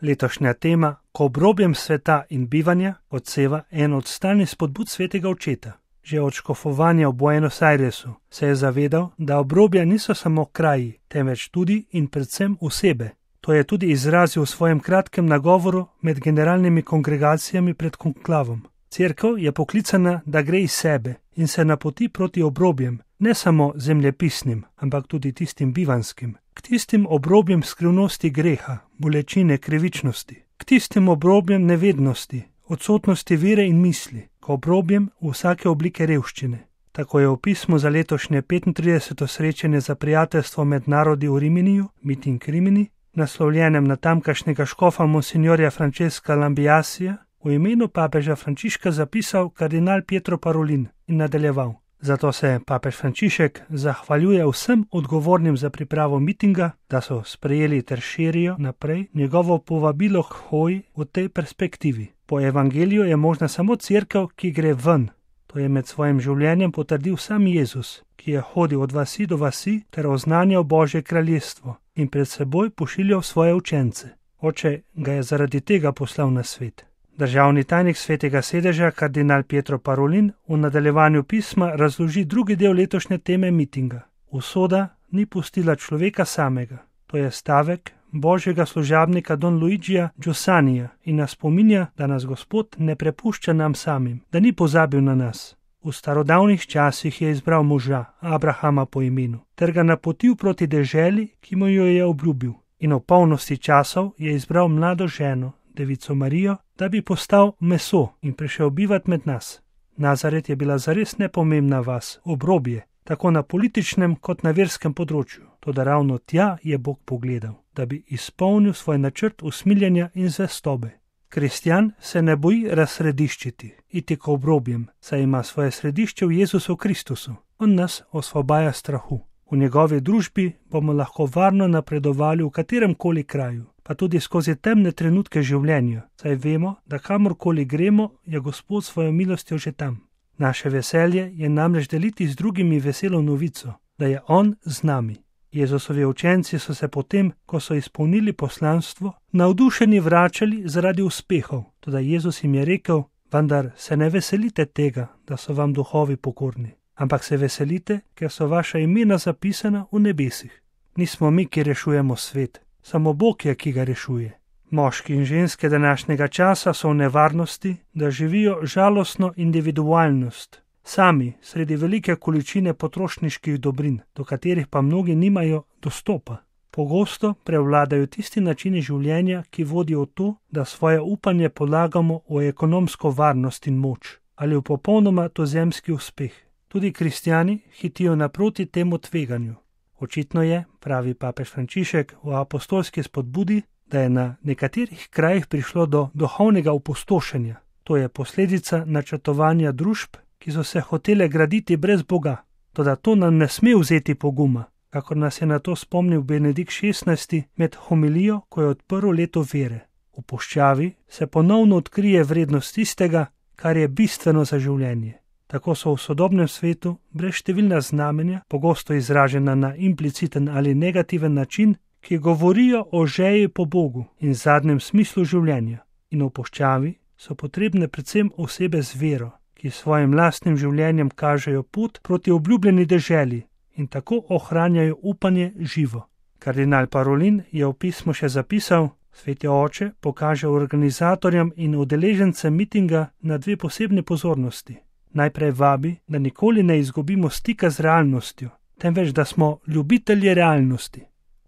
Letošnja tema, ko obrobjem sveta in bivanja, odseva eno od stalnih spodbud svetega očeta. Že od škofovanja v Buenos Airesu se je zavedal, da obrobja niso samo kraji, temveč tudi in predvsem osebe. To je tudi izrazil v svojem kratkem nagovoru med generalnimi kongregacijami pred konklavom. Cerkev je poklicana, da gre iz sebe in se napoti proti obrobjem, ne samo zemljepisnim, ampak tudi tistim bivanskim, k tistim obrobjem skrivnosti greha, bolečine, krivičnosti, k tistim obrobjem nevednosti, odsotnosti vere in misli, k obrobjem vsake oblike revščine. Tako je v pismu za letošnje 35. srečanje za prijateljstvo med narodi v Riminiju, Meeting Rimini, naslovljenem na tamkajšnjega škofa monsignorja Francesca Lambiasija, v imenu papeža Frančiška zapisal kardinal Pietro Parolin in nadaljeval. Zato se papež Frančišek zahvaljuje vsem odgovornim za pripravo mitinga, da so sprejeli ter širijo naprej njegovo povabilo k hoji v tej perspektivi. Po evangeliju je možna samo cerkev, ki gre ven. To je med svojim življenjem potrdil sam Jezus, ki je hodil od vasi do vasi ter oznanjal Božje kraljestvo in pred seboj pošiljal svoje učence. Oče ga je zaradi tega poslal na svet. Državni tajnik Svetega sedeža, kardinal Pietro Parolin, v nadaljevanju pisma razloži drugi del letošnje teme mitinga. Usoda ni pustila človeka samega. To je stavek božjega služabnika Don Luigija Giussanija in nas spominja, da nas Gospod ne prepušča nam samim, da ni pozabil na nas. V starodavnih časih je izbral moža, Abrahama po imenu, ter ga napotil proti deželi, ki mu jo je obljubil. In v polnosti časov je izbral mlado ženo, devico Marijo, da bi postal meso in prišel bivat med nas. Nazaret je bila zares nepomembna vas, obrobje, tako na političnem kot na verskem področju. Toda ravno tja je Bog pogledal, da bi izpolnil svoj načrt usmiljenja in zvestobe. Kristjan se ne boji razsrediščiti, iti k obrobjem, saj ima svoje središče v Jezusu Kristusu. On nas osvobaja strahu. V njegovi družbi bomo lahko varno napredovali v katerem koli kraju, pa tudi skozi temne trenutke življenja, saj vemo, da kamorkoli gremo, je Gospod svojo milostjo že tam. Naše veselje je namreč deliti z drugimi veselo novico, da je On z nami. Jezusovi učenci so se potem, ko so izpolnili poslanstvo, navdušeni vračali zaradi uspehov, toda Jezus jim je rekel, vendar se ne veselite tega, da so vam duhovi pokorni, ampak se veselite, ker so vaša imena zapisana v nebesih. Nismo mi, ki rešujemo svet, samo Bog je, ki ga rešuje. Moški in ženske današnjega časa so v nevarnosti, da živijo žalostno individualnost, sami sredi velike količine potrošniških dobrin, do katerih pa mnogi nimajo dostopa. Pogosto prevladajo tisti načini življenja, ki vodijo v to, da svoje upanje polagamo v ekonomsko varnost in moč ali v popolnoma tozemski uspeh. Tudi kristjani hitijo naproti temu tveganju. Očitno je, pravi papež Frančišek v apostolski spodbudi, da je na nekaterih krajih prišlo do duhovnega opustošenja. To je posledica načrtovanja družb, ki so se hotele graditi brez Boga. Toda to nam ne sme vzeti poguma, kakor nas je na to spomnil Benedikt XVI med homilijo, ko je odprl leto vere. V puščavi se ponovno odkrije vrednost tistega, kar je bistveno za življenje. Tako so v sodobnem svetu brez številna znamenja, pogosto izražena na impliciten ali negativen način, ki govorijo o žeji po Bogu in zadnjem smislu življenja. In v puščavi so potrebne predvsem osebe z vero, ki svojim lastnim življenjem kažejo pot proti obljubljeni deželi in tako ohranjajo upanje živo. Kardinal Parolin je v pismu še zapisal, Sveti Oče pokaže organizatorjem in udeležencem mitinga na dve posebne pozornosti. Najprej vabi, da nikoli ne izgubimo stika z realnostjo, temveč da smo ljubitelji realnosti.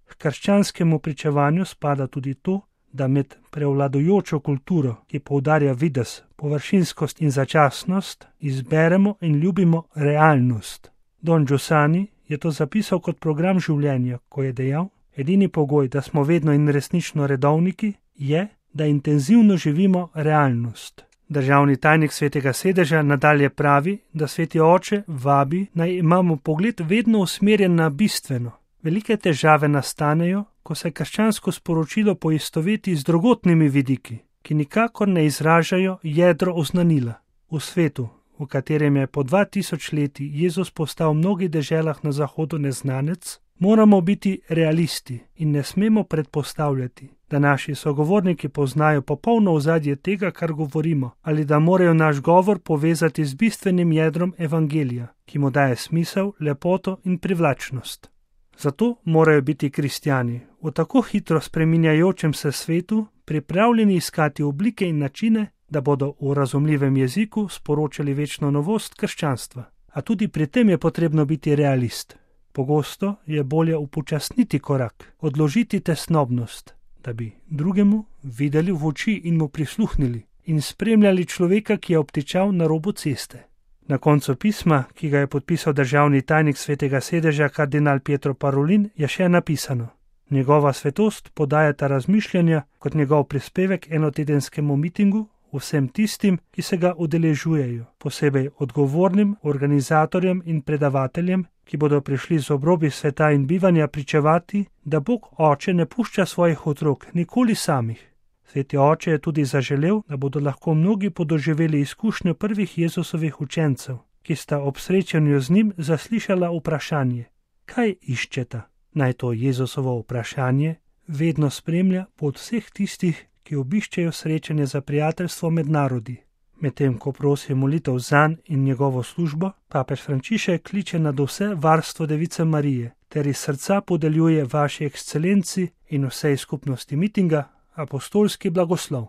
K krščanskemu pričevanju spada tudi to, da med prevladujočo kulturo, ki poudarja videz, površinskost in začasnost, izberemo in ljubimo realnost. Don Giussani je to zapisal kot program življenja, ko je dejal, edini pogoj, da smo vedno in resnično redovniki, je, da intenzivno živimo realnost. Državni tajnik Svetega sedeža nadalje pravi, da Sveti Oče vabi, naj imamo pogled vedno usmerjen na bistveno. Velike težave nastanejo, ko se krščansko sporočilo poistoveti z drugotnimi vidiki, ki nikakor ne izražajo jedro oznanila. V svetu, v katerem je po 2000 leti Jezus postal v mnogih deželah na zahodu neznanec, moramo biti realisti in ne smemo predpostavljati, da naši sogovorniki poznajo popolno ozadje tega, kar govorimo, ali da morajo naš govor povezati z bistvenim jedrom evangelija, ki mu daje smisel, lepoto in privlačnost. Zato morajo biti kristjani v tako hitro spreminjajočem se svetu pripravljeni iskati oblike in načine, da bodo v razumljivem jeziku sporočali večno novost krščanstva. A tudi pri tem je potrebno biti realist. Pogosto je bolje upočasniti korak, odložiti tesnobnost, da bi drugemu videli v oči in mu prisluhnili in spremljali človeka, ki je obtičal na robu ceste. Na koncu pisma, ki ga je podpisal državni tajnik Svetega sedeža kardinal Pietro Parolin, je še napisano: Njegova svetost podaja ta razmišljanja kot njegov prispevek enotedenskemu mitingu vsem tistim, ki se ga udeležujejo, posebej odgovornim organizatorjem in predavateljem, ki bodo prišli z obrobja sveta in bivanja pričevati, da Bog Oče ne pušča svojih otrok nikoli samih. Sveti Oče je tudi zaželel, da bodo lahko mnogi podoživeli izkušnjo prvih Jezusovih učencev, ki sta ob srečanju z njim zaslišala vprašanje: kaj iščeta? Naj to Jezusovo vprašanje vedno spremlja pot vseh tistih, ki obiščejo srečanje za prijateljstvo med narodi. Medtem ko prosi molitev zanj in njegovo službo, papež Frančišek kliče nad vse varstvo Device Marije ter iz srca podeljuje vaši ekscelenci in vsej skupnosti mitinga apostolski blagoslov.